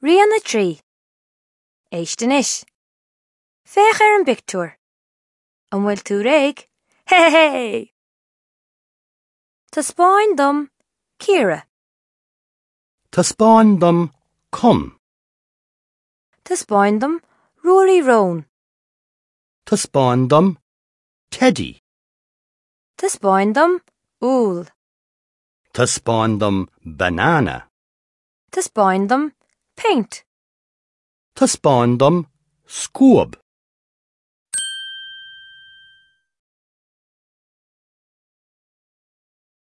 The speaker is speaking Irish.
Rian 3. Éist anois. Féach ar an bpictiúr. An bhfuil tú réidh? Hé! Taispeáin dom Ciara. Taispeáin dom Con. Taispeáin dom Ruairí Rón. Taispeáin dom Teidí. Taispeáin dom Úll. Taispeáin dom Banana. Taispeáin dom Péint. Taispeáin dom Scuab.